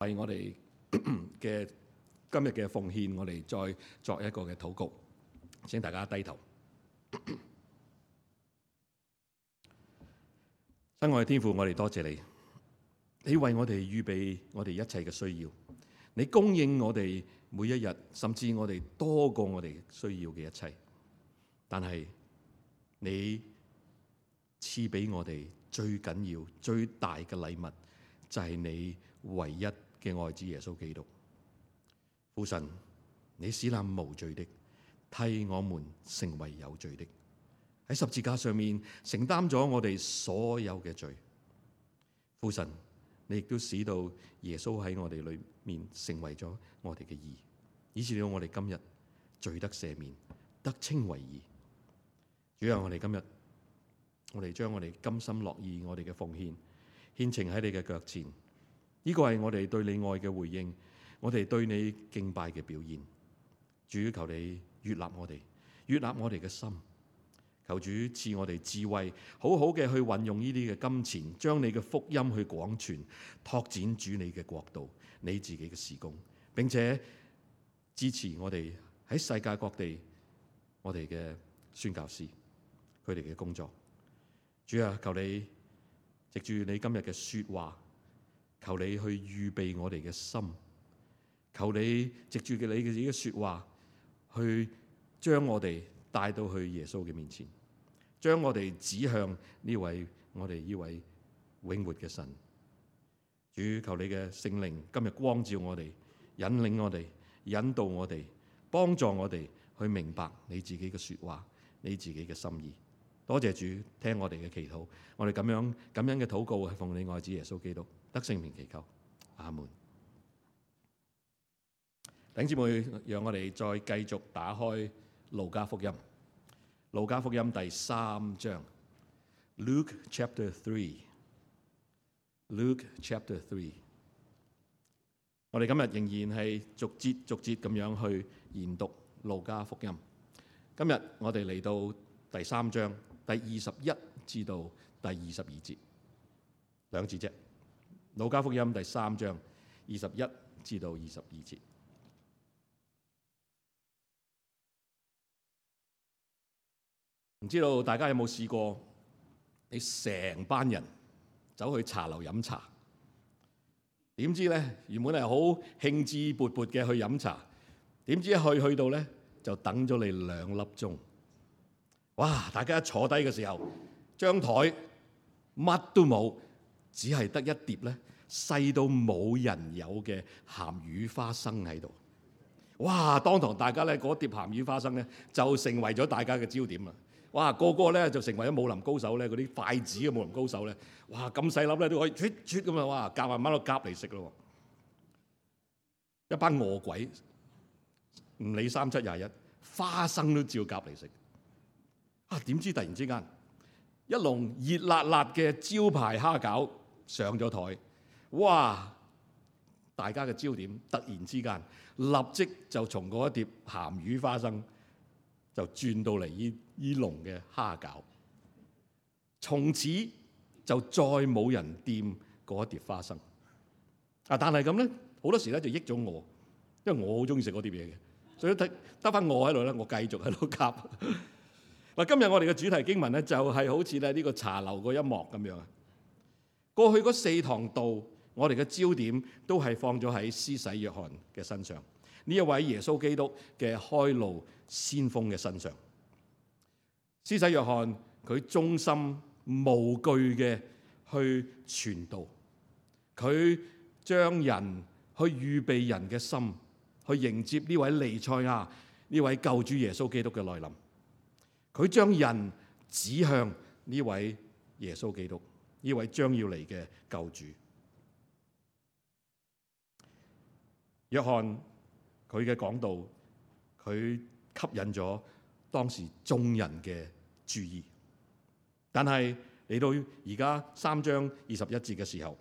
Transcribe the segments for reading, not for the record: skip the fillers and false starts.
為我哋嘅今日嘅奉獻，我哋再作一個嘅禱告。請大家低頭。親愛嘅天父，我哋多謝你，你為我哋預備我哋一切嘅需要，你供應我哋每一日，甚至我哋多過我哋需要嘅一切。但係你賜俾我哋最緊要、最大嘅禮物，就係你唯一嘅愛子耶穌基督。父神，你使那無罪的替我們成為有罪的，喺十字架上面承擔咗我哋所有嘅罪。父神，你亦都使到耶穌喺我哋裏面成為咗我哋嘅義，以至到我哋今日罪得赦免，得稱為義。主啊，我哋今日我哋將我哋甘心樂意我哋嘅奉獻獻呈喺你嘅腳前，呢個係我哋對你愛嘅回應，我哋對你敬拜嘅表現。主，求你悅納我哋，悅納我哋嘅心。求主賜我哋智慧，好好嘅去運用呢啲嘅金錢，將你嘅福音去廣傳，拓展主你嘅國度，你自己嘅事工，並且支持我哋喺世界各地我哋嘅宣教師佢哋嘅工作。主啊，求你藉住你今日嘅說話，求你去預備我哋嘅心，求你藉住你嘅自己嘅說話，去將我哋帶到去耶穌嘅面前，將我哋指向呢位我哋呢位永活嘅神。主，求你嘅聖靈今日光照我哋，引領我哋，引導我哋，幫助我哋去明白你自己嘅說話，你自己嘅心意。多謝主，聽我哋嘅祈禱，我哋咁樣感恩嘅禱告係奉你愛子耶穌基督得聖名祈求，阿門。弟兄姊妹，讓我哋再繼續打開路加福音，路加福音第3章 Luke chapter 3。 Luke chapter 3， 我哋今日仍然係逐節咁樣去研讀路加福音。今日我哋嚟到第3章第21至到第22節，兩節啫。路加福音第3章21至到22節。唔知道大家有冇試過，你成班人走去茶樓飲茶，點知咧原本係好興致勃勃嘅去飲茶，點知去到咧就等咗你2粒鐘。哇！大家一坐低嘅時候，張台乜都冇，只係得一碟咧細到冇人有嘅鹹魚花生喺度。哇！當堂大家咧嗰碟鹹魚花生咧就成為咗大家嘅焦點啦。哇！個個咧就成為咗武林高手咧，嗰啲筷子嘅武林高手咧，哇！咁細粒咧都可以啜啜咁啊！哇！夾慢慢都夾嚟食咯。一班餓鬼唔理37、21，花生都照夾嚟食。啊！點知突然之間一籠熱辣辣嘅招牌蝦餃上咗台，哇！大家嘅焦點突然之間立即就從嗰一碟鹹魚花生就轉到嚟呢籠嘅蝦餃，從此就再冇人掂嗰一碟花生。啊！但係咁咧，好多時咧就益咗我，因為我好中意食嗰碟嘢嘅，所以得翻我喺度咧，我繼續喺度夾。嗱，今日我哋嘅主題經文咧，就係好似咧呢個茶樓嗰一幕咁樣啊。過去嗰4堂道，我哋嘅焦點都係放咗喺施洗約翰嘅身上，呢一位耶穌基督嘅開路先鋒嘅身上。施洗約翰佢忠心無懼嘅去傳道，佢將人去預備人嘅心，去迎接呢位彌賽亞，呢位救主耶穌基督嘅來臨。佢將人指向呢位耶穌基督，呢位將要嚟嘅救主。約翰佢嘅講道，佢吸引咗當時眾人嘅注意。但係嚟到而家3章21節嘅時候，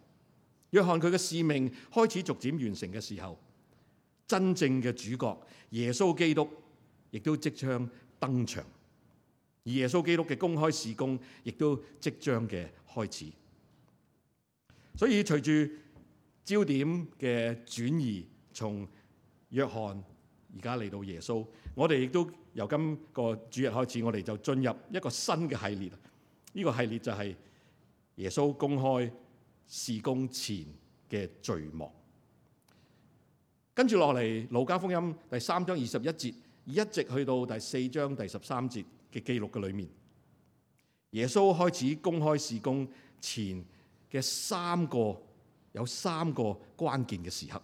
約翰佢嘅使命開始逐漸完成嘅時候，真正嘅主角耶穌基督亦都即將登場。而耶穌基督嘅公開事工亦都即將嘅開始，所以隨住焦點嘅轉移，從約翰而家嚟到耶穌。我哋亦都由今個主日開始，我哋就進入一個新嘅系列。呢個系列就係耶穌公開事工前嘅序幕。跟住落嚟，路加福音第3章21節一直去到第4章第13節嘅記錄嘅裏面，耶穌開始公開事工前嘅有三個關鍵嘅時刻。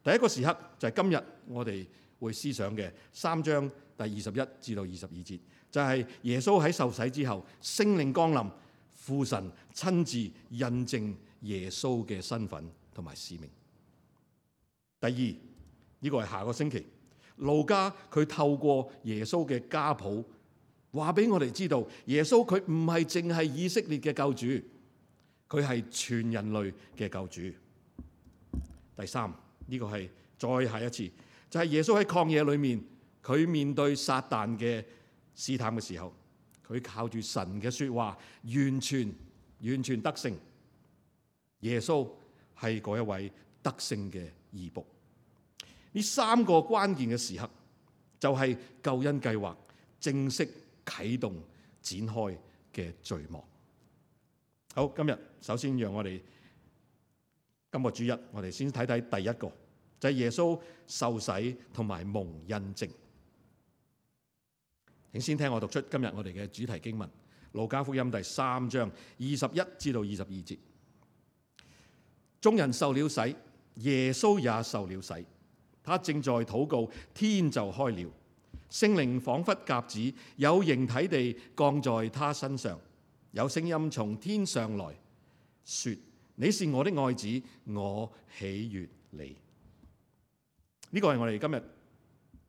第一個時刻就係今日我哋會思想嘅3章第21至到22節，就係耶穌喺受洗之後，聖靈降臨，父神親自印證耶穌嘅身份同埋使命。第二，呢個係下個星期，路加佢透過耶穌嘅家譜話俾我哋知道，耶穌佢唔係淨係以色列嘅救主，佢係全人類嘅救主。第三，呢個係再下一次，就係耶穌喺曠野裏面，佢面對撒旦嘅試探嘅時候，佢靠住神嘅說話完全得勝。耶穌係嗰一位得勝嘅義僕。呢三個關鍵嘅時刻，就係救恩計劃正式啟動展開嘅序幕。好，今日首先讓我哋今個主日，我哋先睇睇第一個，就係耶穌受洗同埋蒙印證。請先聽我讀出今日我哋嘅主題經文，路加福音第3章21至到22節。眾人受了洗，耶穌也受了洗。他正在禱告，天就開了，聖靈仿佛鴿子有形體地降在他身上，有聲音從天上來說：你是我的愛子，我喜悅你。呢個係我哋今日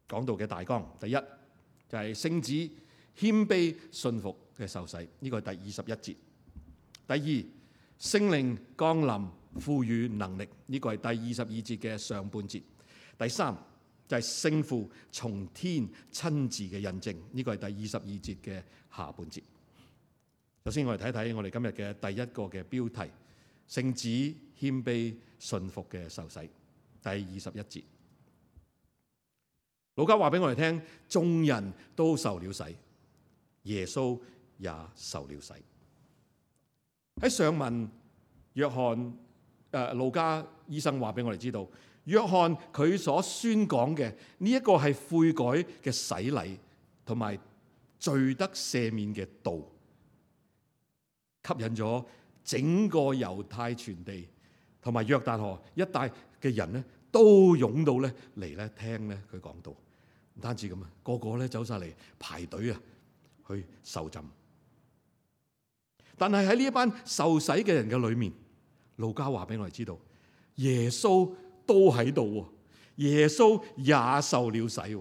講到嘅大綱。第一就係聖子謙卑信服嘅受洗，呢個係第21節。第二，聖靈降臨賦予能力，呢個係第22節嘅上半節。第三就係聖父從天親自嘅印證，呢個係第22節嘅下半節。首先我哋睇睇我哋今日嘅第一個嘅標題：聖子謙卑信服嘅受洗，第21節。路加話俾我哋聽，眾人都受了洗，耶穌也受了洗。喺上文，路加醫生話俾我哋知道，約翰佢所宣講嘅呢一個係悔改嘅洗禮同埋罪得赦免嘅道，吸引咗整個猶太全地同埋約旦河一帶嘅人咧，都湧到咧嚟咧聽咧佢講道。唔單止咁啊，個個咧走晒嚟排隊啊去受浸。但係喺呢一班受洗嘅人嘅裏面，路加話俾我哋知道，耶穌都喺度，耶穌也受了洗。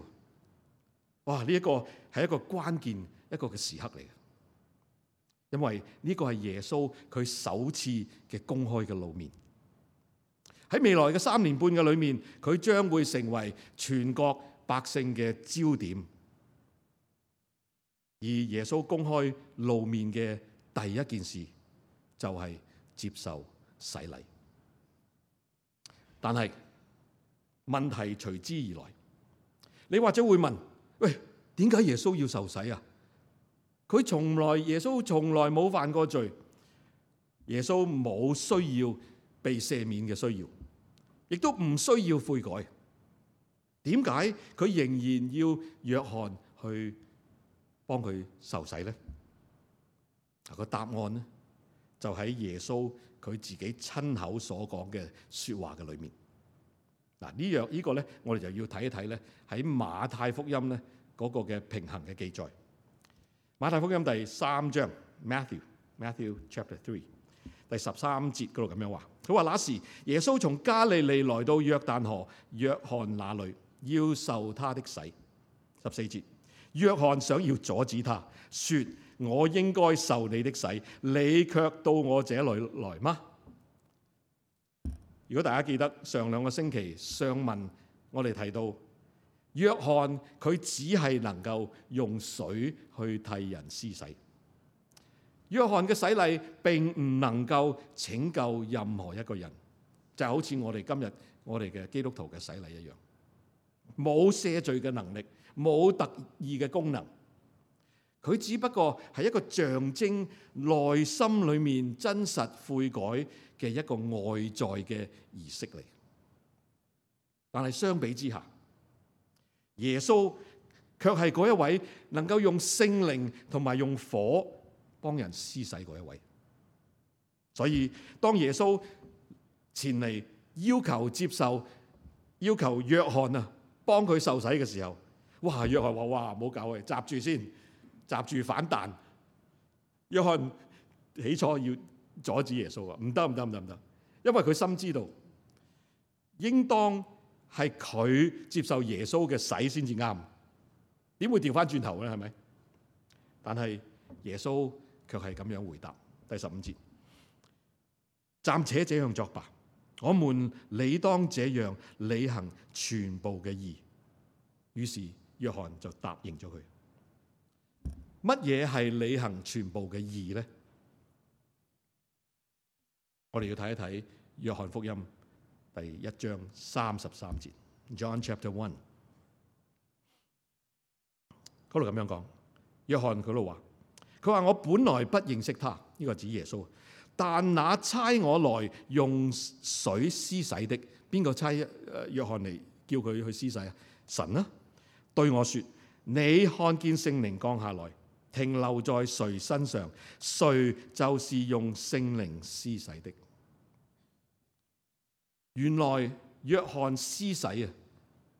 哇！呢一個係一個關鍵一個嘅時刻嚟嘅，因為呢個係耶穌佢首次嘅公開嘅露面。喺未來嘅3年半嘅裏面，佢將會成為全國百姓嘅焦點。而耶穌公開露面嘅第一件事就係接受洗禮。但係問題隨之而來，你或者會問：喂，點解耶穌要受洗啊？耶穌從來冇犯過罪，耶穌冇需要被赦免嘅需要，亦都唔需要悔改。點解佢仍然要約翰去幫佢受洗呢？個答案呢，就喺耶穌佢自己親口所講嘅說話嘅裏面。嗱，呢個咧，我哋就要睇一睇咧，喺馬太福音咧嗰個嘅平衡嘅記載。馬太福音第3章 Matthew chapter 3第13節嗰度咁樣話，佢話：那時耶穌從加利利來到約旦河約翰那裏，要受他的洗。14節，約翰想要阻止他，說：我應該受你的洗，你卻到我這裏來嗎？如果大家記得上2個星期上文我哋提到，約翰佢只係能夠用水去替人施洗。約翰嘅洗禮並唔能夠拯救任何一個人，就好似我哋今日我哋嘅基督徒嘅洗禮一樣，冇赦罪嘅能力，冇特異嘅功能，佢只不過係一個象徵內心裏面真實悔改嘅一個外在嘅儀式嚟。但係相比之下，耶穌卻係嗰一位能夠用聖靈同埋用火幫人施洗嗰一位。所以當耶穌前嚟要求約翰啊幫佢受洗嘅時候，哇！約翰話：哇，唔好搞佢，閘住先，閘住反彈。約翰起初要阻止耶穌啊，唔得，因為佢深知道應當係佢接受耶穌嘅洗先至啱，點會調翻轉頭咧？係咪？但係耶穌卻係咁樣回答，第15節：暫且這樣作吧，我們理當這樣履行全部嘅義。於是約翰就答應咗佢。乜嘢係履行全部嘅義呢？我哋要睇一睇約翰福音第1章33節 ，John Chapter 1，嗰度咁樣講。約翰佢度話：我本來不認識他，呢個指耶穌，但那差我來用水施洗的，邊個差約翰嚟叫佢去施洗啊？神啊，對我說：你看見聖靈降下來，停留在誰身上，誰就是用聖靈施洗的。原來約翰施洗啊，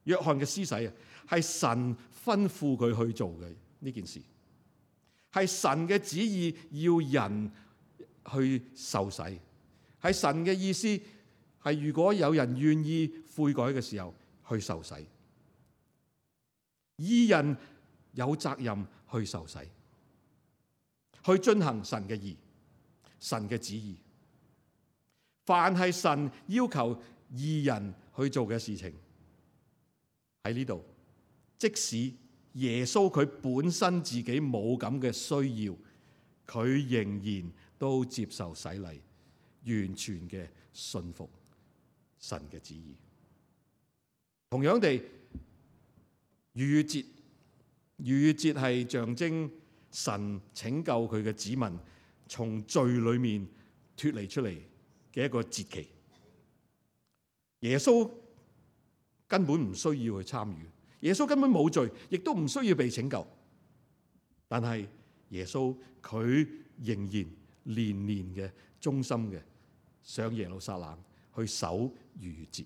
約翰嘅施洗啊，係神吩咐佢去做嘅呢件事，係神嘅旨意要人去受洗，係神嘅意思係如果有人願意悔改嘅時候去受洗，義人有責任去受洗，去遵行神嘅義、神嘅旨意。凡係神要求義人去做嘅事情，喺呢度，即使耶穌佢本身自己冇咁嘅需要，佢仍然都接受洗禮，完全嘅信服神嘅旨意。同樣地，逾越節係象徵神拯救佢嘅子民從罪裏面脫離出嚟嘅一個節期。耶穌根本唔需要去參與，耶穌根本冇罪，亦都唔需要被拯救。但係耶穌佢仍然年年嘅忠心嘅上耶路撒冷去守逾越節。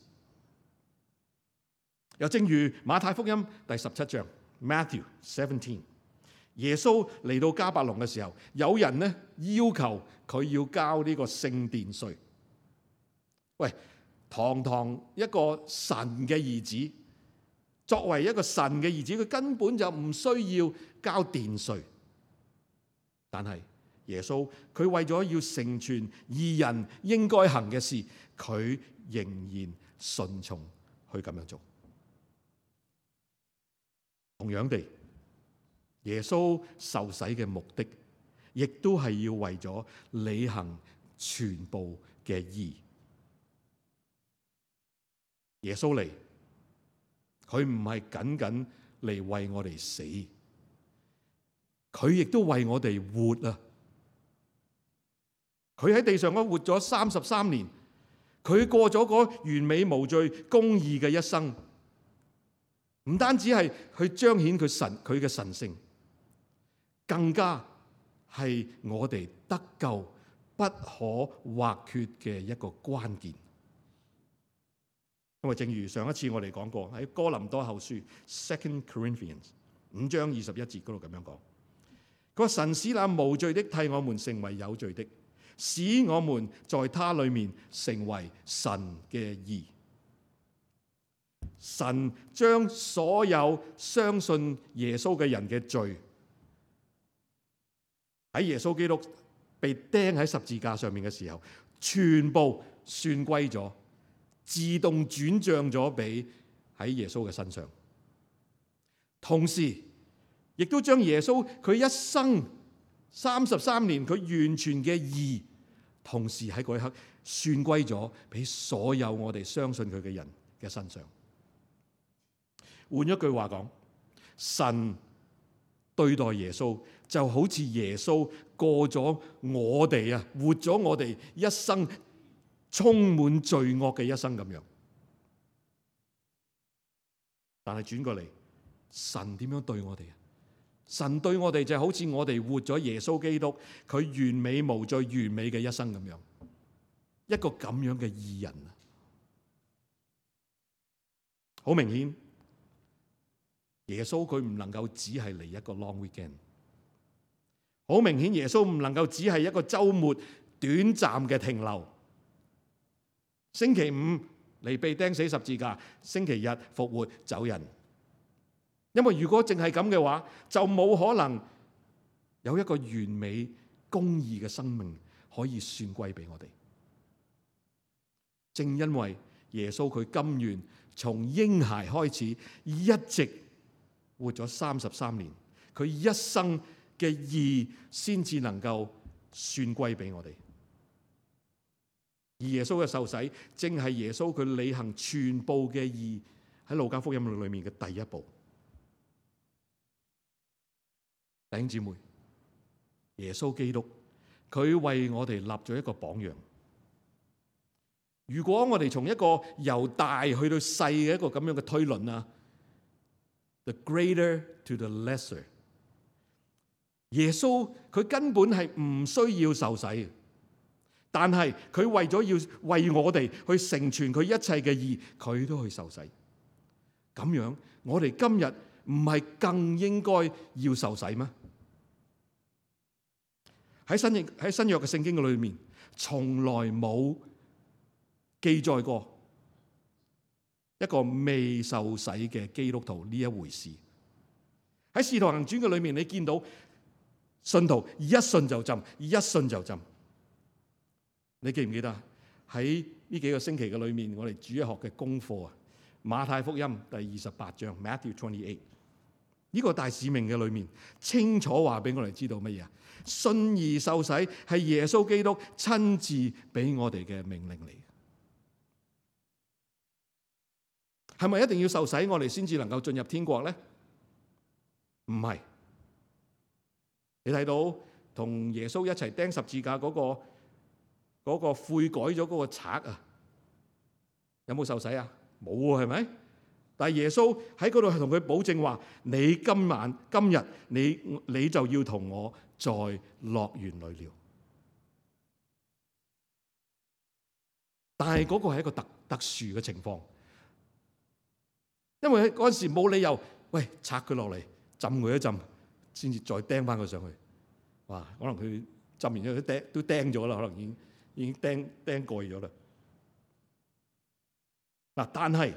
又正如馬太福音第17章 Matthew 17，耶穌嚟到迦百農嘅時候，有人呢要求佢要交呢個聖殿稅。喂，堂堂一個神嘅兒子，作為一個神嘅兒子，佢根本就唔需要交殿稅。但係耶穌佢為咗要成全義人應該行嘅事，佢仍然順從去咁樣做。同樣地，耶穌受洗嘅目的，亦都係要為咗履行全部嘅義。耶穌嚟，佢唔係僅僅嚟為我哋死，佢亦都為我哋活啊！佢喺地上嗰活咗33年，佢過咗嗰完美無罪、公義嘅一生，唔單止係去彰顯佢嘅神性，更加係我哋得救不可或缺嘅一個關鍵。因為正如上一次我哋講過，喺哥林多後書 2 Corinthians 5章21節嗰度咁樣講，佢話神使那無罪的替我們成為有罪的，使我們在他裏面成為神嘅義。神將所有相信耶穌嘅人嘅罪，喺耶穌基督被釘喺十字架上面嘅時候，全部算歸咗，自動轉賬咗俾喺耶穌嘅身上。同時亦都將耶穌佢一生33年佢完全嘅義，同時喺嗰一刻算歸咗俾所有我哋相信佢嘅人嘅身上。換一句話講，神對待耶穌就好似耶穌過咗我哋活咗我哋一生充滿罪惡嘅一生咁樣。但係轉過嚟，神點樣對我哋？神對我哋就好似我哋活咗耶穌基督佢完美無罪、完美嘅一生咁樣，一個咁樣嘅義人。好明顯，耶穌佢唔能夠只係嚟一個 long weekend。好明顯，耶穌唔能夠只係一個週末短暫嘅停留。星期五嚟被釘死十字架，星期日復活走人。因為如果淨係咁嘅話，就冇可能有一個完美公義嘅生命可以算歸俾我哋。正因為耶穌佢甘願從嬰孩開始，一直活咗33年，佢一生嘅義先至能夠算歸俾我哋。而耶穌嘅受洗，正係耶穌佢履行全部嘅義喺路加福音裏面嘅第一步。弟兄姊妹，耶穌基督佢為我哋立咗一個榜樣。如果我哋從一個由大去到細嘅一個咁樣嘅推論，the greater to the lesser， 耶穌佢根本係唔需要受洗嘅，但係佢為咗要為我哋去成全佢一切嘅義，佢都去受洗。咁樣我哋今日唔係更應該要受洗咩？喺新約嘅聖經嘅裏面，從來冇記載過一個未受洗嘅基督徒呢一回事。喺使徒行傳嘅裏面，你見到信徒一信就浸，一信就浸。你記唔記得喺呢幾個星期嘅裏面，我哋主日學嘅功課馬太福音第28章 Matthew 28，呢個大使命嘅裏面清楚話俾我哋知道乜嘢？信而受洗係耶穌基督親自俾我哋嘅命令嚟。係咪一定要受洗我哋先至能夠進入天國咧？唔係。你睇到同耶穌一齊釘十字架嗰個悔改咗嗰個賊有冇受洗啊？冇喎，係咪？但係耶穌喺嗰度係同佢保證話：你今日你就要同我在樂園裏了。但係嗰個係一個特殊嘅情況，因為嗰陣時冇理由，拆佢落嚟浸佢一浸，先至再釘翻佢上去。哇！可能佢浸完之後都釘咗啦，可能已經釘過咗啦。嗱，但係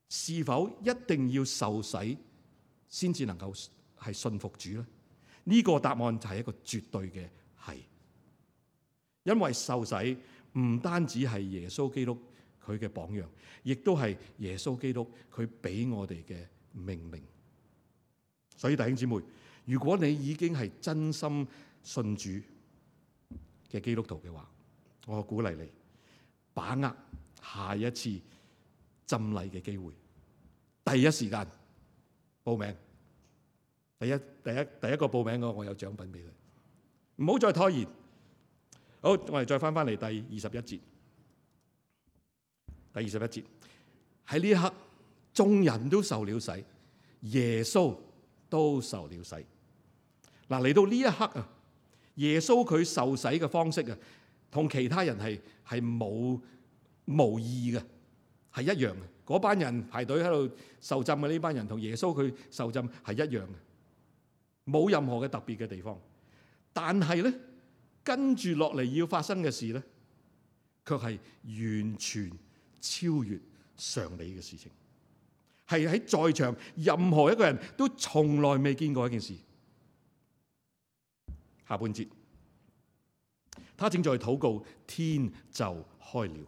是否一定要受洗先至能夠係信服主咧？呢個答案就係一個絕對嘅係，因為受洗唔單止係耶穌基督佢嘅榜樣，亦都係耶穌基督佢俾我哋嘅命令。所以弟兄姊妹，如果你已經係真心信主嘅基督徒嘅話，我鼓勵你把握下一次浸禮嘅機會，第一時間報名。第一個報名嘅我有獎品俾佢，唔好再拖延。好，我哋再翻嚟第21節。第21節喺呢一刻，眾人都受了洗，耶穌都受了洗。嗱，嚟到呢一刻耶穌佢受洗嘅方式同其他人係無異嘅，係一樣嘅。嗰班人排隊喺度受浸嘅呢班人，同耶穌佢受浸係一樣嘅，冇任何嘅特別嘅地方。但係咧，跟住落嚟要發生嘅事咧，卻係完全超越常理嘅事情，係喺在場任何一個人都從來未見過一件事。下半節，他正在禱告，天就開了，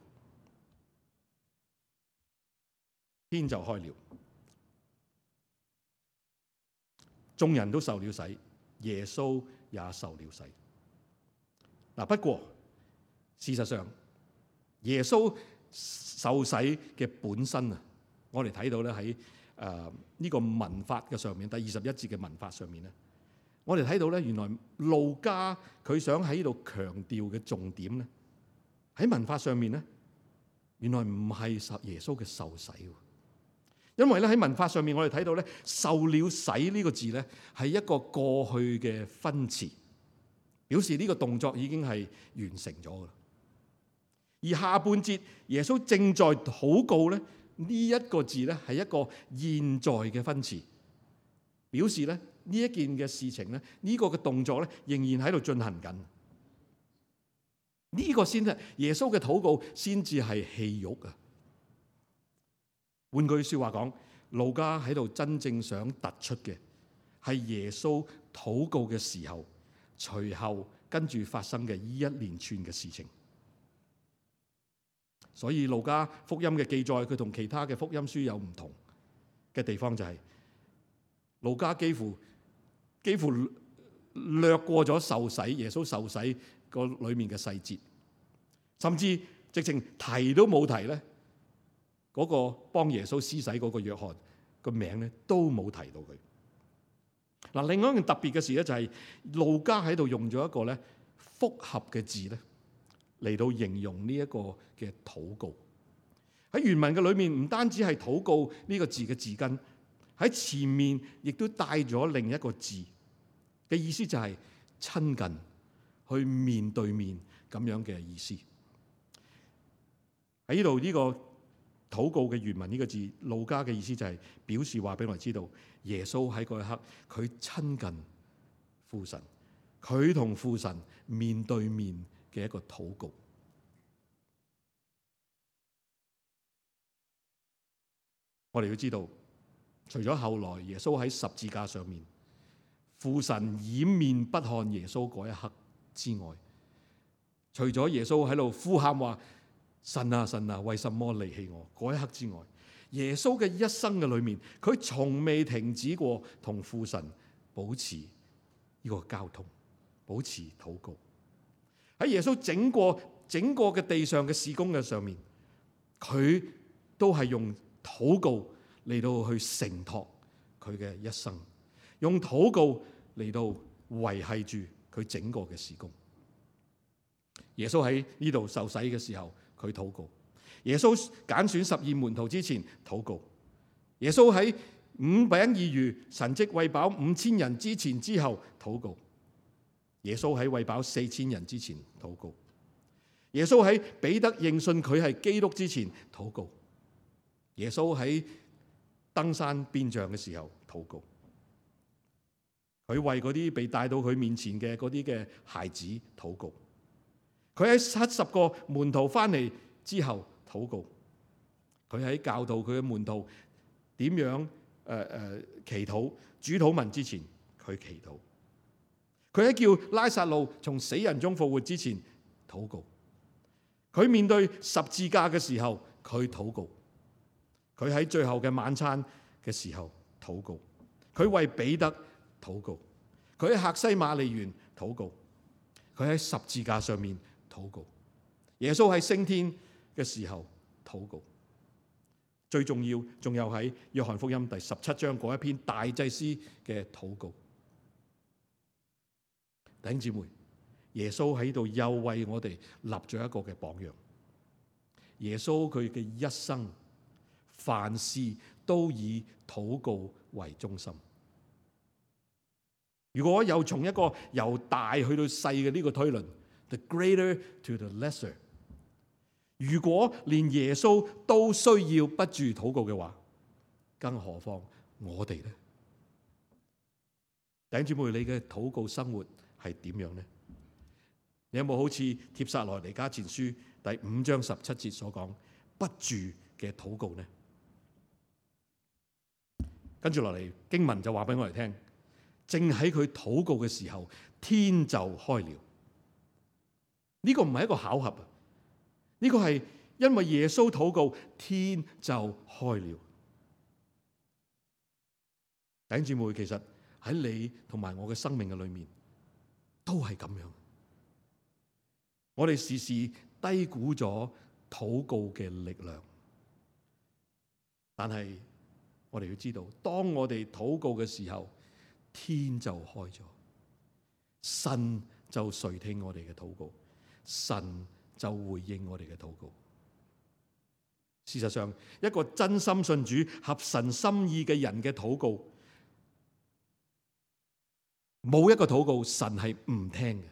天就開了，眾人都受了洗，耶穌也受了洗。嗱，不過事實上耶穌受洗嘅本身啊，我哋睇到咧喺呢個文法嘅上面，第21節嘅文法上面咧，我哋睇到咧原來路加佢想喺呢度強調嘅重點咧，喺文法上面咧，原來唔係耶穌嘅受洗。因為咧喺文法上面，我哋睇到咧受了洗呢個字咧係一個過去嘅分詞，表示呢個動作已經係完成咗噶啦。而下半節耶穌正在禱告咧，呢一個字咧係一個現在嘅分詞，表示咧呢一件嘅事情咧，呢個嘅動作咧仍然喺度進行緊。呢個先係耶穌嘅禱告，先至係戲肉啊！換句說話講，路加喺度真正想突出嘅係耶穌禱告嘅時候，隨後跟住發生嘅呢一連串嘅事情。所以路加福音嘅記載，佢同其他嘅福音書有唔同嘅地方，就係路加幾乎略過咗受洗，耶穌受洗個裏面嘅細節，甚至直情提都冇提咧。嗰個幫耶穌施洗嗰個約翰個名咧都冇提到佢。嗱，另外一件特別嘅事咧就係路加喺度用咗一個咧複合嘅字咧嚟到形容呢一個嘅禱告。喺原文嘅裏面唔單止係禱告呢個字嘅字根，喺前面亦都帶咗另一個字嘅意思，就係親近，去面對面咁樣嘅意思。喺呢度呢個禱告嘅原文呢個字，路加嘅意思就係表示話俾我哋知道，耶穌喺嗰一刻佢親近父神，佢同父神面對面嘅一個禱告。我哋要知道，除咗後來耶穌喺十字架上面，父神掩面不看耶穌嗰一刻之外，除咗耶穌喺度呼喊話神啊神啊，為什麼離棄我嗰一刻之外，耶穌嘅一生嘅裏面，佢從未停止過同父神保持呢個交通，保持禱告。喺耶穌整個嘅地上嘅事工嘅上面，佢都係用禱告嚟到去承托佢嘅一生，用禱告嚟到維繫住佢整個嘅事工。耶穌喺呢度受洗嘅時候，佢禱告；耶穌揀選12門徒之前禱告；耶穌喺5餅2魚神蹟餵飽5000人之前之後禱告；耶穌喺餵飽4000人之前禱告；耶穌喺彼得認信佢係基督之前禱告；耶穌喺登山變像嘅時候禱告；佢為嗰啲被帶到佢面前嘅嗰啲嘅孩子禱告。佢喺70個門徒翻嚟之後禱告，佢喺教導佢嘅門徒點樣祈禱主禱文之前，佢祈禱；佢喺叫拉撒路從死人中復活之前禱告；佢面對十字架嘅時候佢禱告；佢喺最後嘅晚餐嘅時候禱告；佢為彼得禱告；佢喺客西馬尼園禱告；佢喺十字架上面禱告，耶穌喺升天嘅時候禱告，最重要仲有喺約翰福音第17章嗰一篇大祭司嘅禱告。弟兄姊妹，耶穌喺度又為我哋立咗一個嘅榜樣。耶穌佢嘅一生，凡事都以禱告為中心。如果又從一個由大去到細嘅呢個推論，The greater to the lesser。如果連耶穌都需要不住禱告嘅話，更何況我哋呢？弟兄姊妹，你嘅禱告生活係點樣呢？你有冇好似帖撒羅尼迦前書第5章17節所講不住嘅禱告呢？跟住落嚟經文就話俾我哋聽，正喺佢禱告嘅時候，天就開了。呢個唔係一個巧合啊！呢個係因為耶穌禱告，天就開了。弟兄姊妹，其實喺你同埋我嘅生命嘅裏面，都係咁樣。我哋時時低估咗禱告嘅力量。但係我哋要知道，當我哋禱告嘅時候，天就開咗，神就垂聽我哋嘅禱告，神就回應我哋嘅禱告。事實上，一個真心信主、合神心意嘅人嘅禱告，冇一個禱告神係唔聽嘅。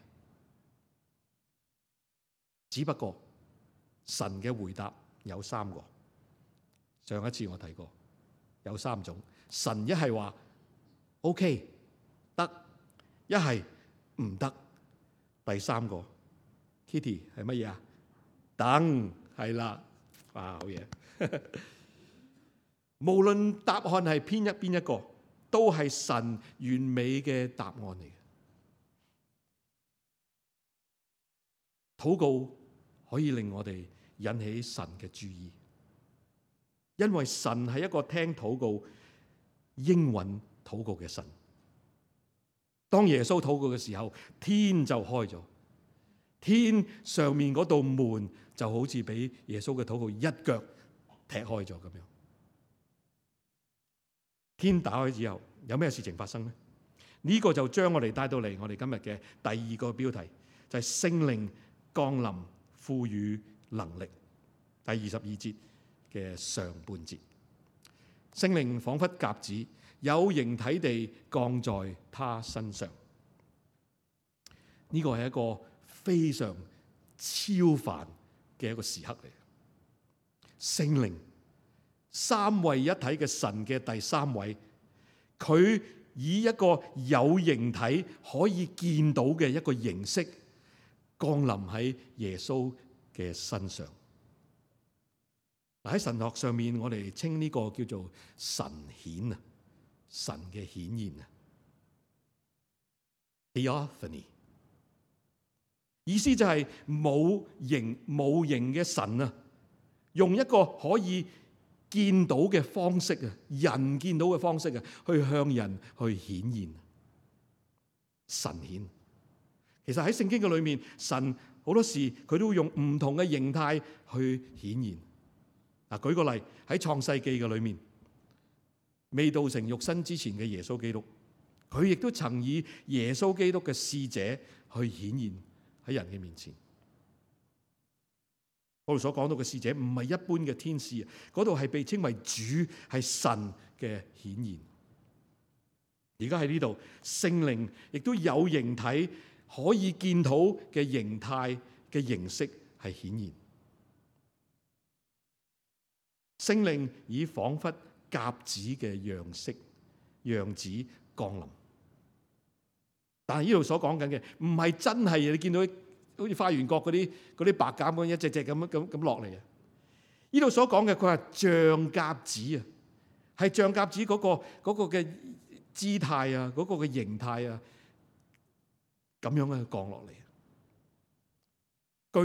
只不過神嘅回答有三個，上一次我提過，有三種。神一係話 OK 得，一係唔得。第三個 Kitty 係乜嘢啊？等，係啦。啊，好嘢！無論答案係邊一個，都係神完美嘅答案嚟嘅。禱告可以令我哋引起神嘅注意，因為神係一個聽禱告、應允禱告嘅神。當耶穌禱告嘅時候，天就開咗，天上面嗰道門就好似俾耶穌嘅禱告一腳踢開咗咁樣。天打開之後，有咩事情發生呢？呢個就將我哋帶到嚟我哋今日嘅第二個標題，就係聖靈降臨，賦予能力。第22節嘅上半節，聖靈彷彿鴿子，有形體地降在他身上。呢個係一個非常超凡嘅一個時刻嚟。聖靈，三位一體嘅神嘅第三位，佢以一個有形體可以見到嘅一個形式降臨喺耶穌嘅身上。喺神學上面，我哋稱呢個叫做神顯啊，神嘅顯現啊 ，Theophany。意思就係冇形嘅神啊，用一個可以見到嘅方式啊，人見到嘅方式啊，去向人去顯現。神顯，其實喺聖經嘅裏面，神好多時佢都會用唔同嘅形態去顯現。嗱，舉個例，喺創世記嘅裏面，未道成肉身之前嘅耶穌基督，佢亦都曾以耶穌基督嘅使者去顯現喺人嘅面前。我哋所講到嘅使者唔係一般嘅天使，嗰度係被稱為主，係神嘅顯現。而家喺呢度，聖靈亦都有形體可以見到嘅形態嘅形式係顯現。聖靈以彷彿鴿子嘅樣子降臨，但係呢度所講緊嘅唔係真係你見到好似花園角嗰啲白鴿咁一隻隻咁落嚟啊！呢度所講嘅佢係像鴿子啊，係像鴿子嗰個嘅姿態啊，嗰個嘅形態啊，咁樣嘅降落嚟。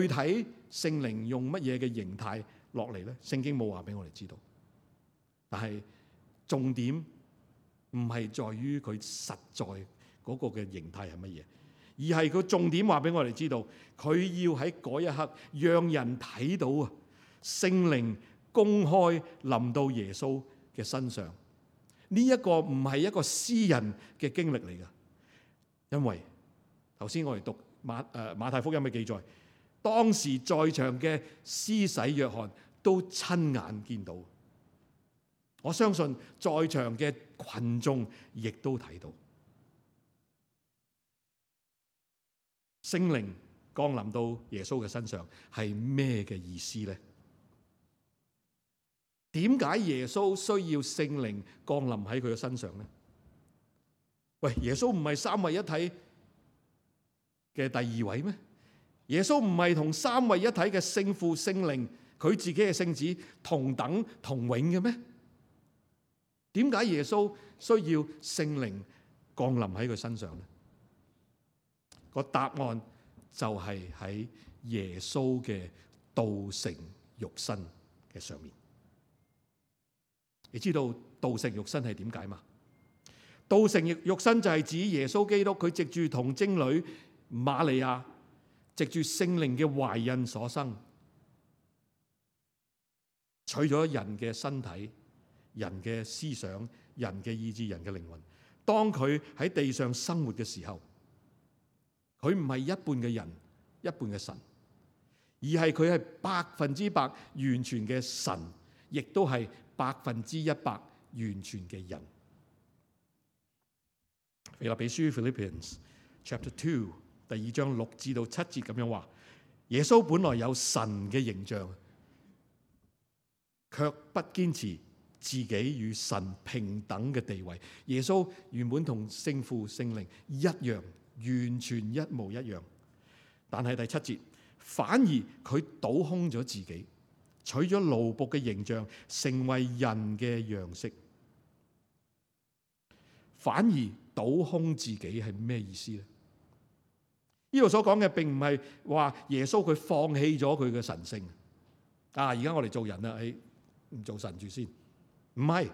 具體聖靈用乜嘢嘅形態落嚟咧？聖經冇話俾我哋知道，但係重點唔係在於佢實在嗰個嘅形態係乜嘢，而係佢重點話俾我哋知道，佢要喺嗰一刻讓人睇到啊，聖靈公開臨到耶穌嘅身上。呢一個唔係一個私人嘅經歷嚟噶，因為頭先我哋讀馬太福音嘅記載，當時在場嘅施洗約翰都親眼見到，我相信在場嘅群眾亦都睇到。聖靈降臨到耶穌嘅身上係咩嘅意思呢？點解耶穌需要聖靈降臨喺佢嘅身上呢？喂，耶穌唔係三位一體嘅第二位咩？耶穌唔係同三位一體嘅聖父、聖靈，佢自己嘅聖子同等同永嘅咩？點解耶穌需要聖靈降臨喺佢身上呢？個答案就係喺耶穌嘅道成肉身嘅上面。你知道道成肉身係點解嘛？道成肉身就係指耶穌基督佢藉住童貞女瑪利亞藉住聖靈嘅懷孕所生。取咗人嘅身體、人嘅思想、人嘅意志、人嘅靈魂。當佢喺地上生活嘅時候，佢唔係一半嘅人，一半嘅神，而係佢係100%完全嘅神，亦都係100%完全嘅人。腓立比書 Philippians Chapter 2第2章6至7節咁樣話：耶穌本來有神嘅形象，卻不堅持自己與神平等嘅地位。耶穌原本同聖父聖靈一樣，完全一模一樣。但係第7節，反而佢倒空咗自己，取咗奴僕嘅形象，成為人嘅樣式。反而倒空自己係咩意思呢？呢度所講嘅並唔係話耶穌佢放棄咗佢嘅神性。而家我哋做人啦，唔做神住先。唔係，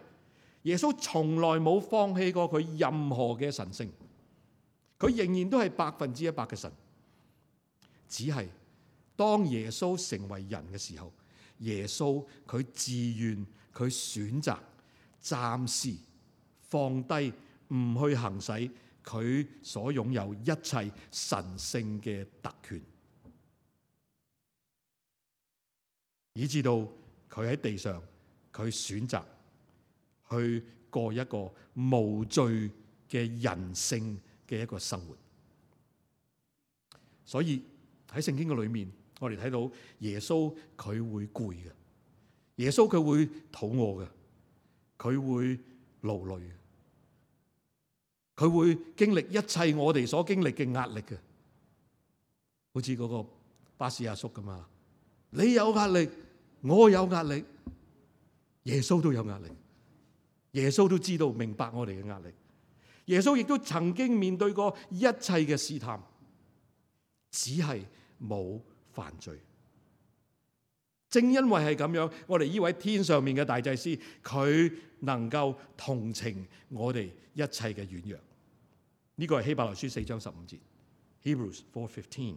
耶穌從來冇放棄過佢任何嘅神性，佢仍然都係100%嘅神。只係當耶穌成為人嘅時候，耶穌佢自願，佢選擇暫時放低，唔去行使佢所擁有一切神性嘅特權，以至到佢喺地上，佢選擇去過一個無罪嘅人性嘅一個生活。所以喺聖經嘅裏面，我哋睇到耶穌佢會攰嘅，耶穌佢會肚餓嘅，佢會勞累嘅，佢會經歷一切我哋所經歷嘅壓力嘅。好似嗰個巴士阿叔咁啊，你有壓力，我有壓力，耶穌都有壓力，耶穌都知道明白我哋嘅壓力。耶穌亦都曾經面對過一切嘅試探，只係冇犯罪。正因為係咁樣，我哋呢位天上面嘅大祭司，佢能夠同情我哋一切嘅軟弱。呢個係希伯來書4章15節 Hebrews 4:15。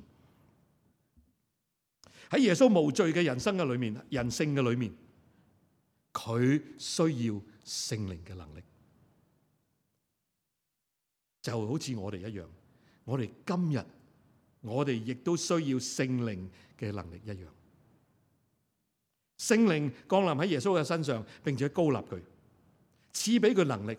喺耶穌無罪嘅人生嘅裏面，人性嘅裏面，佢需要聖靈嘅能力，就好似我哋一樣。我哋今日我哋亦都需要聖靈嘅能力一樣。聖靈降臨喺耶穌嘅身上，並且膏立佢，賜俾佢能力。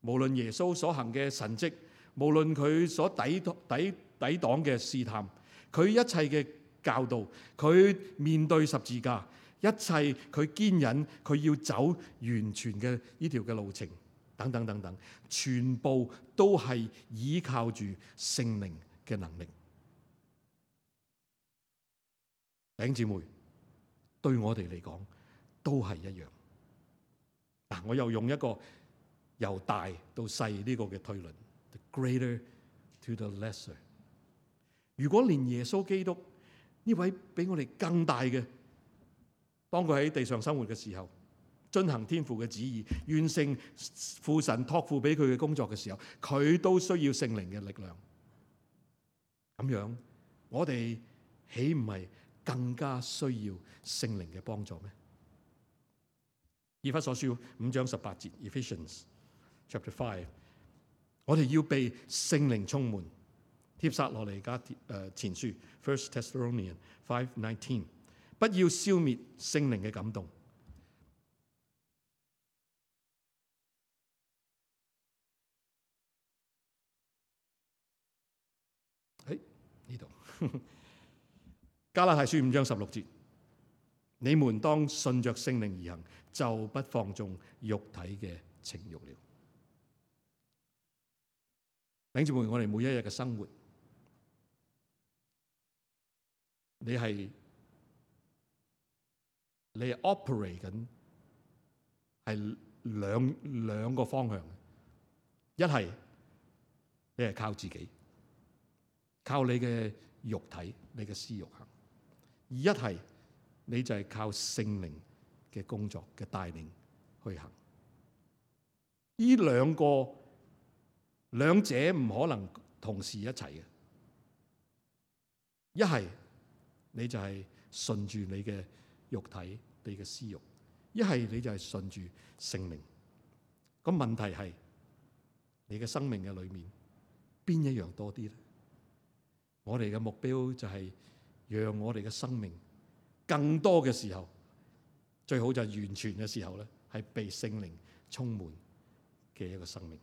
無論耶穌所行嘅神蹟，無論佢所抵擋嘅試探，佢一切嘅教導，佢面對十字架，一切佢堅忍，佢要走完全嘅呢條嘅路程，等等等等，全部都係依靠住聖靈嘅能力。弟兄姊妹，對我哋嚟講都係一樣。嗱，我又用一個由大到細呢個嘅推論 ，the greater to the lesser。如果連耶穌基督呢位比我哋更大嘅，當佢喺地上生活嘅時候，遵行天父嘅旨意，完成父神託付俾佢嘅工作嘅時候，佢都需要聖靈嘅力量。咁樣，我哋豈唔係更加需要聖靈嘅幫助咩？以弗所書5章18節 Ephesians Chapter 5，我哋要被聖靈充滿。帖撒羅尼迦前書 First Thessalonians 5:19， 不要消滅聖靈嘅感動。呢度加拉太書5章16節，你們當順着聖靈而行，就不放縱肉體嘅情慾了。弟兄姊妹，我哋每一日嘅生活，你係 operate 緊係兩個方向。一係你係靠自己，靠你嘅肉體，你嘅私慾行；而一係你就係靠聖靈嘅工作嘅帶領去行。呢兩者唔可能同時一齊嘅。一係你就係順住你嘅肉體，你嘅私慾，一係你就係順住聖靈。個問題係你嘅生命嘅裏面邊一樣多啲咧？我哋嘅目標就係讓我哋嘅生命更多嘅時候，最好就係完全嘅時候咧，係被聖靈充滿嘅一個生命。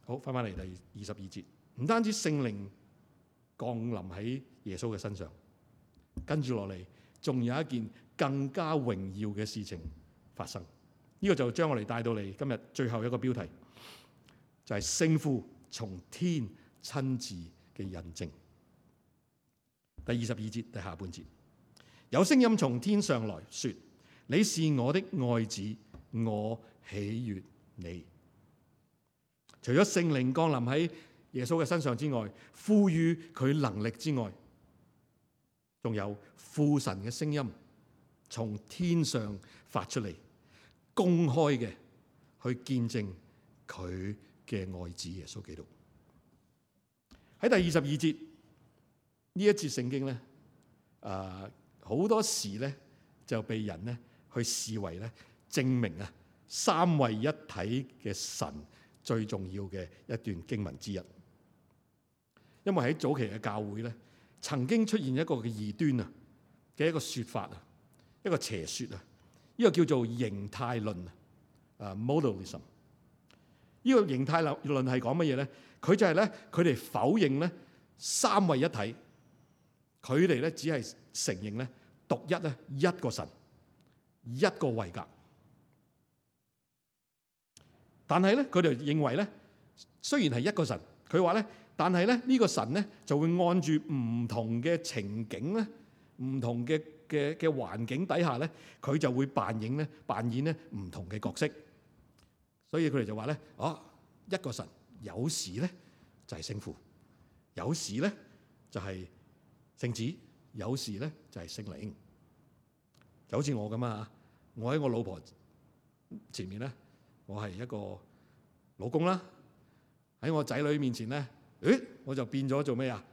好，翻返嚟第22節，唔單止聖靈降臨喺耶穌嘅身上，跟住落嚟仲有一件更加榮耀嘅事情發生。呢個就將我哋帶到嚟今日最後一個標題，就係聖父從天親自嘅印證。第22節第下半節，有聲音從天上來說：你是我的愛子，我喜悅你。除咗聖靈降臨喺耶穌嘅身上之外，賦予佢能力之外，仲有父神嘅聲音從天上發出嚟，公開嘅去見證佢嘅愛子耶穌基督。喺第22節呢一節聖經咧，好多時咧就被人咧去視為咧證明啊三位一體嘅神最重要嘅一段經文之一。因為喺早期嘅教會咧，曾經出現一個嘅異端啊嘅一個說法啊，一個邪說啊，呢個叫做形態論啊 ，modalism。呢個形態論係講乜嘢咧？佢就係咧，佢哋否認咧三位一體，佢哋咧只係承認咧獨一咧一個神，一個位格。但係咧，佢哋認為咧，雖然係一個神，佢話咧，但係咧呢個神咧就會按住唔同嘅情景咧，唔同嘅環境底下咧，佢就會扮演咧唔同嘅角色。所以佢哋就話咧，一個神有時咧就係聖父，有時咧就係聖子，有時咧就係聖靈。就好似我咁啊，我喺我老婆前面咧，我係一個老公啦；喺我仔女面前咧，我就變咗做咩啊？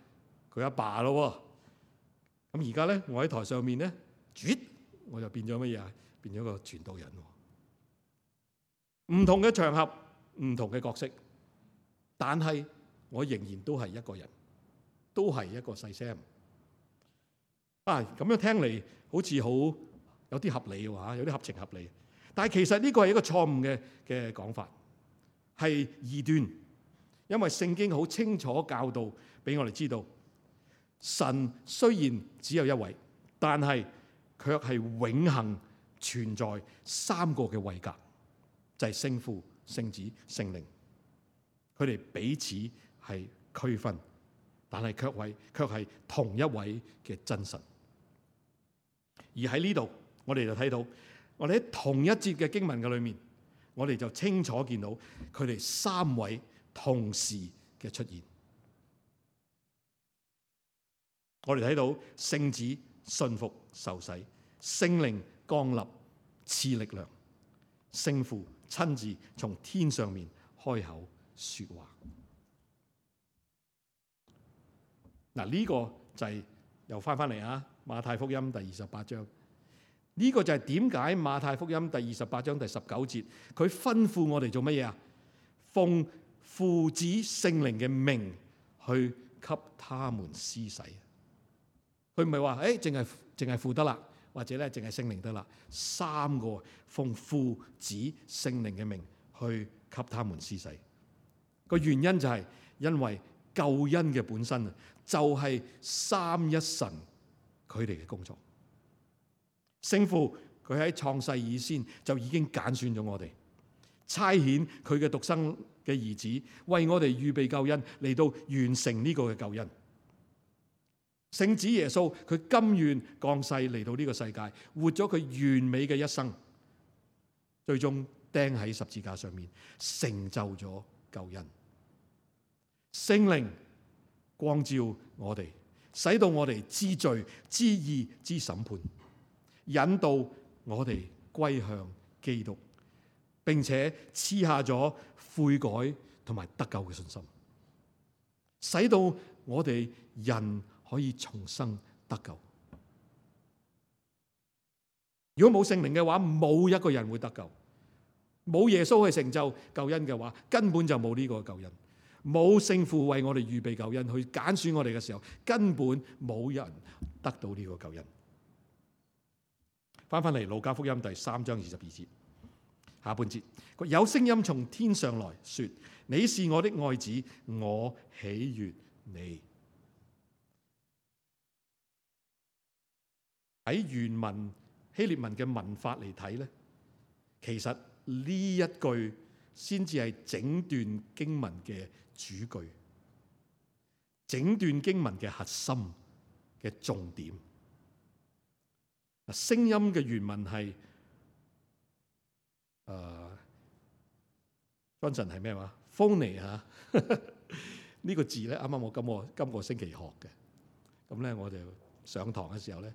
佢阿爸咯。咁而家咧，我喺台上面咧，我就變咗乜嘢啊？變咗個傳道人。唔同嘅場合，唔同嘅角色，但係我仍然都係一個人，都係一個細 Sam。咁樣聽嚟好似好有啲合理喎，有啲合情合理。但係其實呢個係一個錯誤嘅講法，係異端。因為聖經好清楚教導俾我哋知道，神雖然只有一位，但係卻係永恆存在三個嘅位格。就係聖父、聖子、聖靈，佢哋彼此係區分，但係卻係同一位嘅真神。而喺呢度，我哋就睇到，我哋喺同一節嘅經文嘅裏面，我哋就清楚見到佢哋三位同時嘅出現。我哋睇到聖子信服受洗，聖靈降立賜力量，聖父親自從天上面開口說話。呢個就係又翻嚟啊！馬太福音第28章，呢個就係點解馬太福音第28章第19節，佢吩咐我哋做乜嘢啊？奉父子聖靈嘅名去給他們施洗。佢唔係話淨係父得啦，或者咧淨係聖靈得啦，三個奉父子聖靈嘅名去給他們施洗。個原因就係因為救恩嘅本身啊，就係三一神佢哋嘅工作。聖父佢喺創世以先就已經揀選咗我哋，差遣佢嘅獨生嘅兒子為我哋預備救恩，嚟到完成呢個嘅救恩。聖子耶穌佢甘願降世嚟到呢個世界，活咗佢完美嘅一生，最終釘喺十字架上面，成就咗救恩。聖靈光照我哋，使到我哋知罪、知義、知審判，引導我哋歸向基督，並且賜下咗悔改同埋得救嘅信心。使到我哋人可以重生得救。如果冇聖靈嘅話，冇一個人會得救。冇耶穌去成就救恩嘅話，根本就冇呢個救恩。冇聖父為我哋預備救恩，去揀選我哋嘅時候，根本冇人得到呢個救恩。翻嚟路加福音第3章22節下半節，有聲音從天上來說：你是我的愛子，我喜悅你。喺原文希臘文嘅文法嚟睇咧，其實呢一句先至係整段經文嘅主句，整段經文嘅核心嘅重點。聲音嘅原文係Johnson 係咩話 ？phony 嚇呢個字咧，啱啱我今個星期學嘅。咁咧，我就上堂嘅時候咧，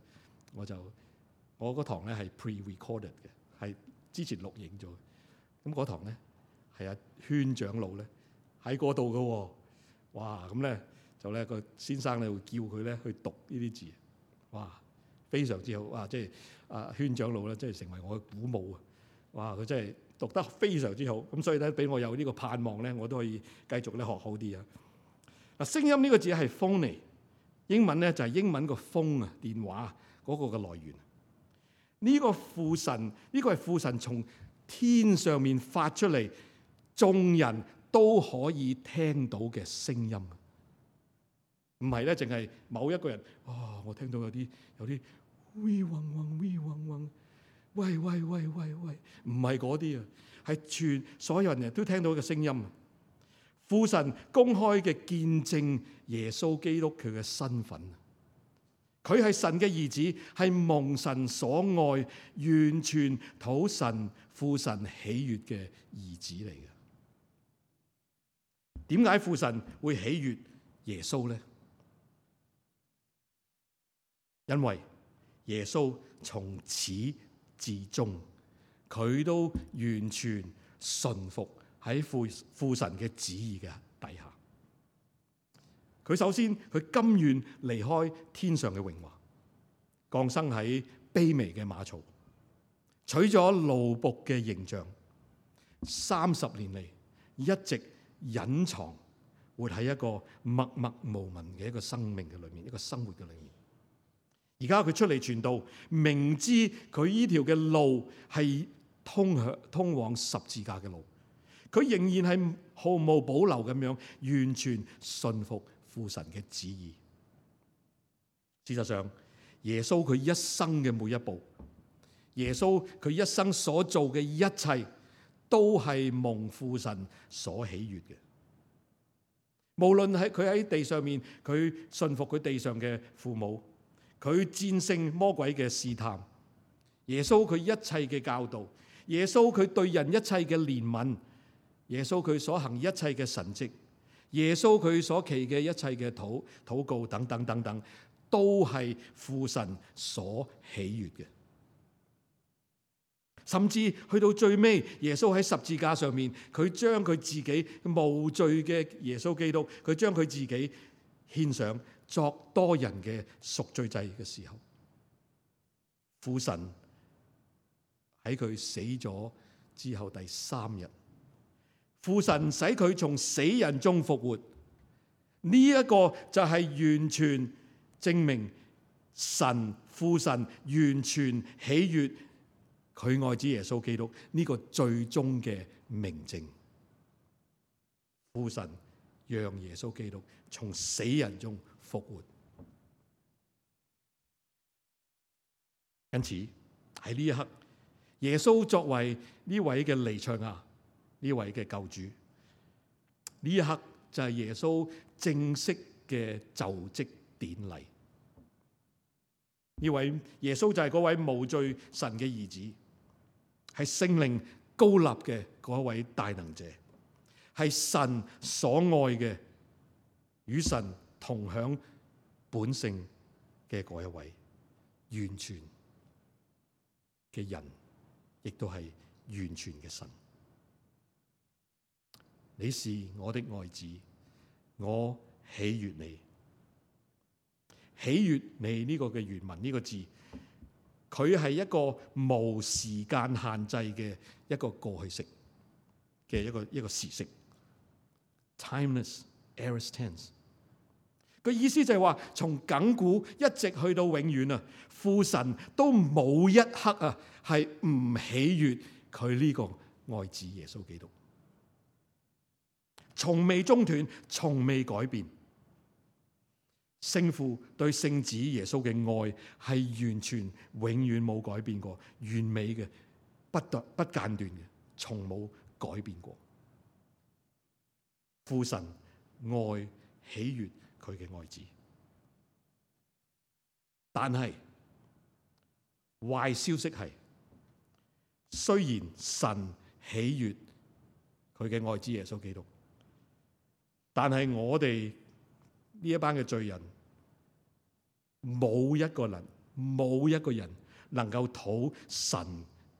我嗰堂咧係 pre-recorded 嘅，係之前錄影咗。咁嗰堂咧係阿圈長老咧喺嗰度嘅喎。哇！咁咧就咧個先生咧會叫佢咧去讀呢啲字。哇！非常之好。哇！即係阿圈長老咧，即係成為我嘅鼓舞啊！哇！佢真係讀得非常之好。咁所以咧，俾我有呢個盼望咧，我都可以繼續咧學好啲啊！嗱，聲音呢個字係 phony， 英文咧就係英文個 phone 啊，電話嗰個嘅來源。呢個父神，呢個係父神從天上面發出嚟，眾人都可以聽到嘅聲音。唔係咧，淨係某一個人。我聽到有啲喂嗡嗡喂嗡嗡，喂，唔係嗰啲啊，係全所有人都聽到嘅聲音。父神公開嘅見證耶穌基督佢嘅身份，佢係神嘅兒子，係蒙神所愛，完全討神父神喜悅嘅兒子嚟嘅。點解父神會喜悅耶穌呢？因為耶穌從始至終，佢都完全順服喺父神嘅旨意嘅底下。佢首先佢甘願離開天上嘅榮華，降生喺卑微嘅馬槽，取咗奴僕嘅形象，30年嚟一直隱藏，活喺一個默默無聞嘅一個生命嘅裏面，一個生活嘅裏面。而家佢出嚟傳道，明知佢呢條嘅路係通往十字架嘅路，佢仍然係毫無保留咁樣完全信服父神嘅旨意。事實上，耶穌佢一生嘅每一步，耶穌佢一生所做嘅一切，都係蒙父神所喜悅嘅。無論係佢喺地上面，佢信服佢地上嘅父母，佢戰勝魔鬼嘅試探，耶穌佢一切嘅教導，耶穌佢對人一切嘅憐憫，耶穌佢所行一切嘅神蹟，耶穌佢所祈嘅一切嘅禱告等等等等，都係父神所喜悅嘅。甚至去到最尾，耶穌喺十字架上面，佢將佢自己無罪嘅耶穌基督，佢將佢自己獻上作多人嘅贖罪祭嘅時候，父神喺佢死咗之後第3日，父神使佢從死人中復活。呢一個就係完全證明父神完全喜悅佢愛子耶穌基督呢個最終嘅明證。父神讓耶穌基督從死人中復活，因此喺呢一刻，耶穌作為呢位嘅彌賽亞，呢位嘅救主，呢一刻就係耶穌正式嘅就職典禮。呢位耶穌就係嗰位無罪神嘅兒子，係聖靈膏立嘅嗰位大能者，係神所愛嘅，與神同享本性嘅嗰一位完全嘅人，亦都係完全嘅神。你是我的愛子，我喜悅你。喜悅你呢個嘅原文呢個字，佢係一個無時間限制嘅一個過去式嘅一個時式 ，timeless aorist tense。個意思就係話，從亙古一直去到永遠啊，父神都冇一刻啊係唔喜悅佢呢個愛子耶穌基督，從未中斷，從未改變。聖父對聖子耶穌嘅愛係完全永遠冇改變過，完美嘅，不間斷嘅，從冇改變過。父神愛喜悅佢嘅愛子，但係壞消息係，雖然神喜悅佢嘅愛子耶穌基督，但係我哋呢一班嘅罪人，冇一個人能夠討神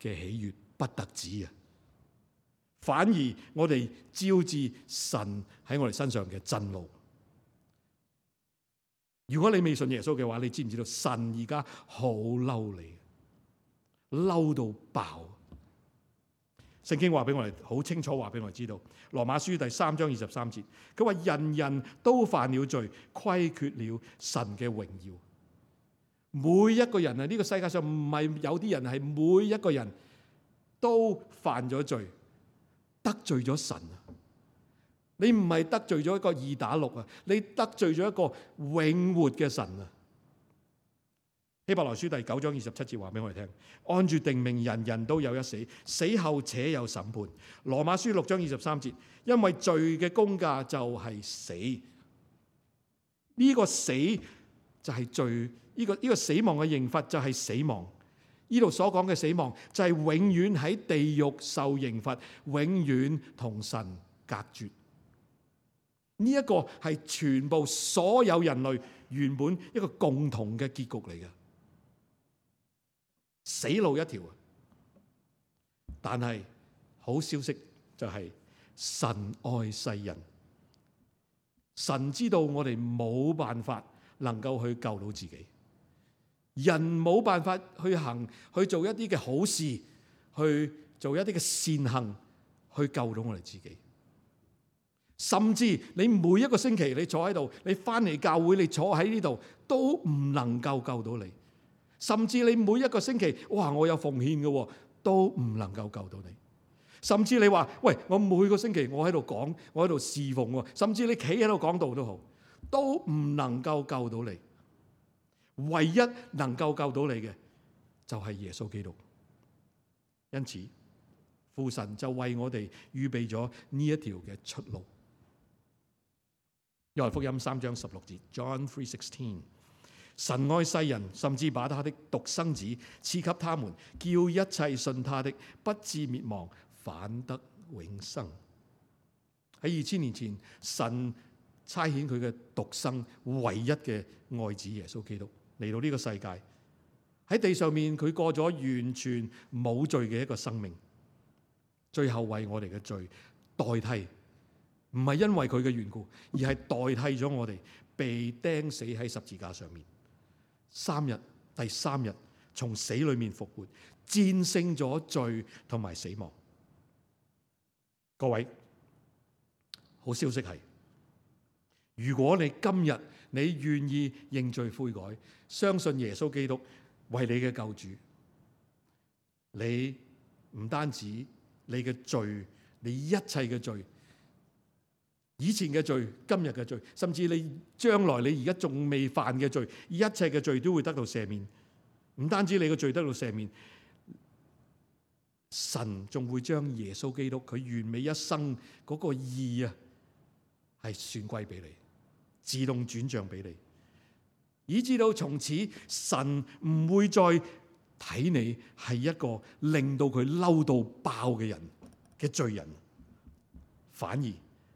嘅喜悅，不特止啊！反而我哋招致神喺我哋身上嘅震怒。如果你未信耶穌嘅話，你知唔知道神而家好嬲你，嬲到爆？聖經話俾我哋好清楚，話俾我哋知道，羅馬書第3章23節，佢話人人都犯了罪，虧缺了神嘅榮耀。每一個人啊，呢個世界上唔係有啲人，係每一個人都犯咗罪，得罪咗神啊！你唔係得罪咗一個2打6啊，你得罪咗一個永活嘅神啊！希伯來書第9章27節話俾我哋聽，按住定命，人人都有一死，死後且有審判。羅馬書6章23節，因為罪嘅工價就係死，呢個死就係罪，呢個死亡嘅刑罰就係死亡。呢度所講嘅死亡就係永遠喺地獄受刑罰，永遠同神隔絕。呢一個係全部所有人類原本一個共同嘅結局嚟嘅，死路一條啊！但係好消息就係神愛世人，神知道我哋冇辦法能夠去救到自己，人冇辦法去做一啲嘅好事，去做一啲嘅善行去救到我哋自己。甚至你每一個星期你坐喺度，你翻嚟教會，你坐喺呢度都唔能夠救到你。甚至你每一個星期，哇！我有奉獻嘅，都唔能夠救到你。甚至你話，喂，我每個星期我喺度講，我喺度侍奉，甚至你企喺度講道都好，都唔能夠救到你。唯一能夠救到你嘅就係耶穌基督。因此，父神就為我哋預備咗呢一條嘅出路。約翰福音3章16節 John 3:16， 神愛世人，甚至把他的獨生子賜給他們，叫一切信他的不至滅亡，反得永生。喺2000年前，神差遣佢嘅獨生唯一嘅愛子耶穌基督嚟到呢個世界，喺地上面佢過咗完全冇罪嘅一個生命，最後為我哋嘅罪代替。唔係因為佢嘅緣故，而係代替咗我哋被釘死喺十字架上面。第3日從死裏面復活，戰勝咗罪同埋死亡。各位，好消息係，如果你今日你願意認罪悔改，相信耶穌基督為你嘅救主，你唔單止你嘅罪，你一切嘅罪，以前嘅罪，今日嘅罪，甚至你將來你而家仲未犯嘅罪，一切嘅罪都會得到赦免。唔單止你嘅罪得到赦免，神仲會將耶穌基督佢完美一生嗰個義啊，係算歸俾你，自動轉賬俾你，以至到從此神唔會再睇你係一個令到佢嬲到爆嘅人嘅罪人，反而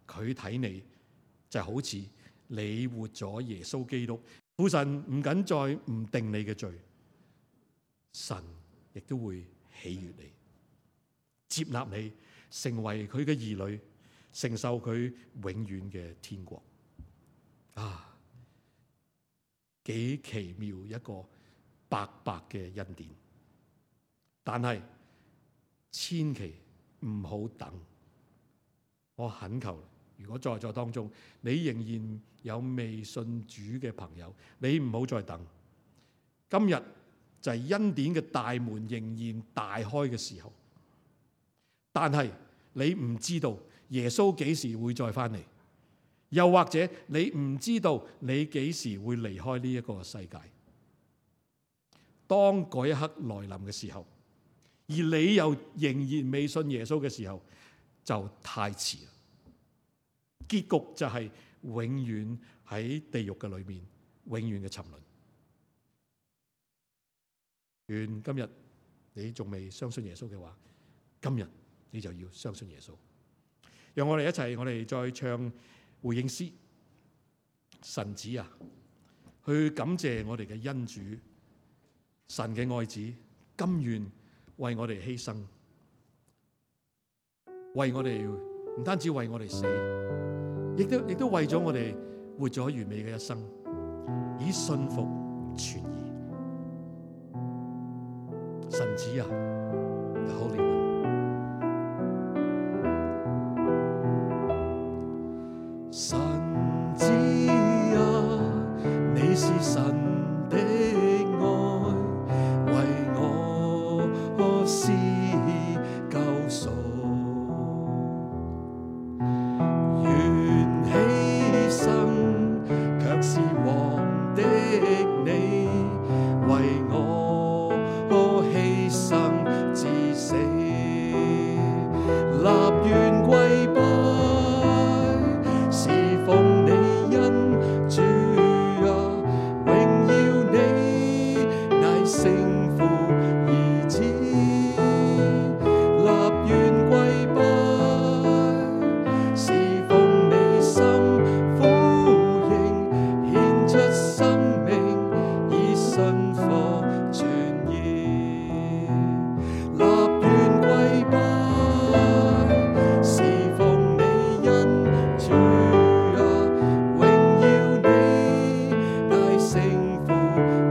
佢睇你就好似你活咗耶穌基督，父神唔僅再唔定你嘅罪，神亦都會喜悅你，接納你，成為佢嘅兒女，承受佢永遠嘅天國。啊，幾奇妙一個白白嘅恩典。但係千祈唔好等。我懇求，如果在座當中你仍然有未信主嘅朋友，你唔好再等。今日就係恩典嘅大門仍然大開嘅時候，但係你唔知道耶穌幾時會再翻嚟，又或者你唔知道你幾時會離開呢一個世界。當嗰一刻來臨嘅時候，而你又仍然未信耶穌嘅時候，就太遲啦。結局就係永遠喺地獄嘅裏面，永遠嘅沉淪。願今日你仲未相信耶穌嘅話，今日你就要相信耶穌。讓我哋一齊，我哋再唱回應詩。神子啊，去感謝我哋嘅恩主，神嘅愛子，甘願為我哋犧牲，為我哋唔單止為我哋死，亦都為咗我哋活咗完美嘅一生，以信服傳義。神子啊 ，The Holy One， 神子啊，你是神的愛，為我施救贖，願犧牲卻是王的你，為我犧牲至死，立願跪拜，侍奉你恩主啊，榮耀你乃聖父兒子，立願跪拜，侍奉你心呼應，獻出生命以信服傳義，立願跪拜，侍奉你恩主啊，榮耀你乃聖父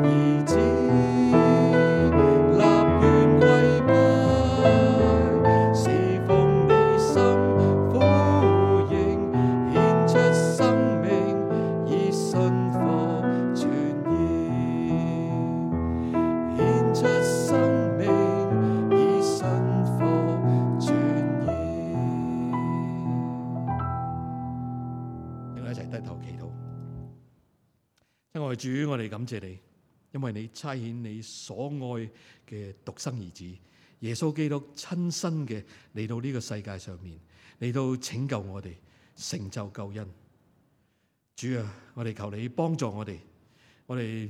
兒子，立願跪拜，侍奉你心呼應，獻出生命以信服傳義，獻出生命以信服傳義。我哋一齊低頭祈禱。親愛的主，我哋感謝你，因為你差遣你所愛嘅獨生兒子耶穌基督親身嘅嚟到呢個世界上面，嚟到拯救我哋，成就救恩。主啊，我哋求你幫助我哋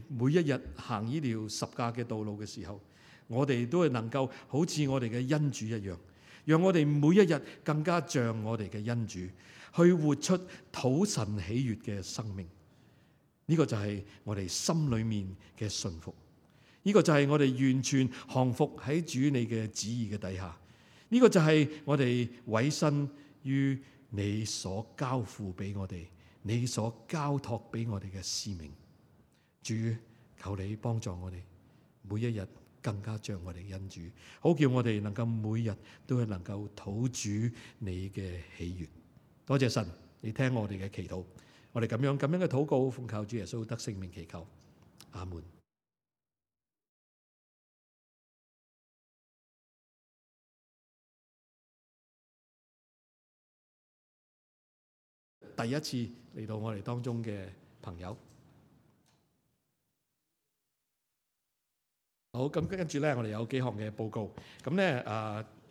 每一日行呢條十架嘅道路嘅時候，我哋都係能夠好似我哋嘅恩主一樣，讓我哋每一日更加像我哋嘅恩主，去活出討神喜悅嘅生命。呢個就係我哋心裏面嘅信服，呢個就係我哋完全降服喺主你嘅旨意嘅底下，呢個就係我哋委身於你所交付俾我哋，你所交託俾我哋嘅使命。主，求你幫助我哋每一日更加像我哋嘅恩主，好叫我哋能夠每日都係能夠討主你嘅喜悅。多謝神，你聽我哋嘅祈禱，我哋咁樣嘅禱告，奉靠主耶穌得聖名祈求，阿門。第一次嚟到我哋當中嘅朋友，好，咁跟住咧，我哋有幾項嘅報告。咁咧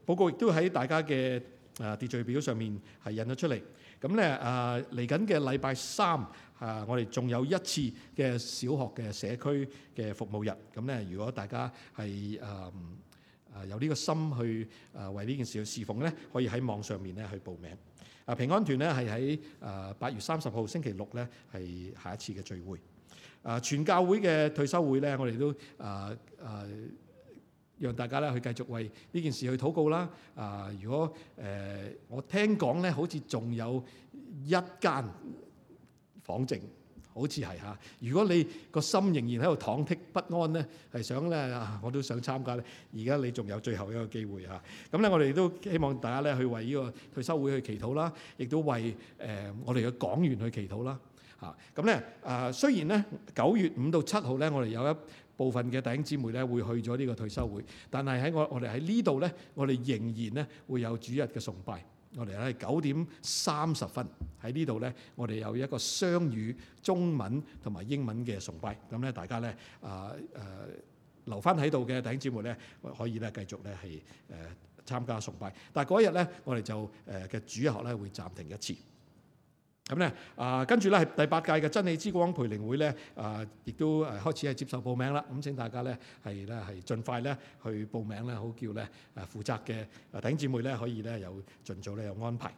報告亦都喺大家嘅秩序表上面係印咗出嚟。咁咧嚟緊嘅禮拜三我哋仲有一次嘅小學嘅社區嘅服務日。咁咧，如果大家係有呢個心去為呢件事去侍奉咧，可以喺網上面咧去報名。平安團咧係喺8月30號星期六咧係下一次嘅聚會。全教會嘅退休會咧，我哋都讓大家咧去繼續為呢件事去禱告啦。如果我聽講咧，好似仲有一間房剩，好似係嚇。如果你個心仍然喺度忐忑不安咧，係想咧我都想參加咧，而家你仲有最後一個機會嚇。咁咧，我哋都希望大家咧去為呢個退修會去祈禱啦，亦都為我哋嘅講員去祈禱啦嚇。咁咧雖然咧9月5到7號咧，我哋有一部分嘅弟兄姊妹咧會去咗呢個退修會，但係喺我哋喺呢度咧，我哋仍然咧會有主日嘅崇拜。我哋喺9:30喺呢度咧，我哋有一個雙語中文同埋英文嘅崇拜。咁咧，大家咧留翻喺度嘅弟兄姊妹咧，可以咧繼續咧係參加崇拜。但係嗰日咧，我哋就嘅主日學咧會暫停一次。咁咧跟住咧係第8屆嘅真理之光培靈會咧亦都開始係接受報名啦。咁請大家咧係盡快咧去報名咧，好叫咧負責嘅弟兄姊妹咧可以咧有盡早咧有安排。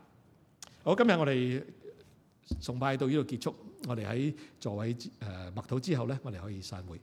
好，今日我哋崇拜到呢度結束，我哋喺座位默禱之後咧，我哋可以散會。